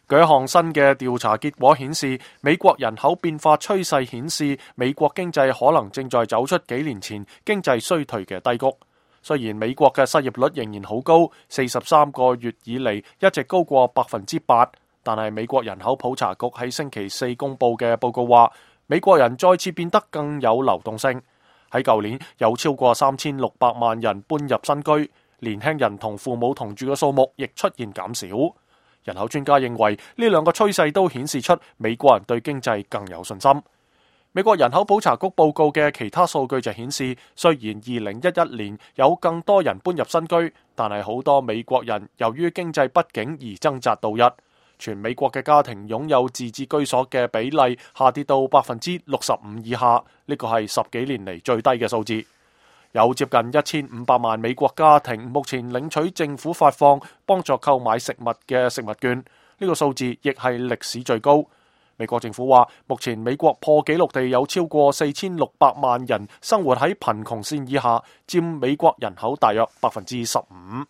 據一項新嘅調查結果顯示，美國人口變化趨勢顯示美國經濟可能正在走出幾年前經濟衰退嘅低谷。雖然美國嘅失業率仍然好高，43個月以嚟一直高過8%，但係美國人口普查局喺星期四公布嘅報告話，美國人再次變得更有流動性。喺舊年有超過3600萬人搬入新居，年輕人同父母同住嘅數目亦出現減少。人口專家認為呢兩個趨勢都顯示出美國人對經濟更有信心。美國人口普查局報告嘅其他數據就顯示，雖然2011年有更多人搬入新居，但係好多美國人由於經濟不景而掙扎度日。全美國嘅家庭擁有自置居所嘅比例下跌到65%以下，呢個係10幾年嚟最低嘅數字。有接近1500萬美國家庭目前領取政府發放幫助購買食物嘅食物券，呢個數字亦係歷史最高。美國政府話，目前美國破紀錄地有超過4600萬人生活喺貧窮線以下，佔美國人口大約15%。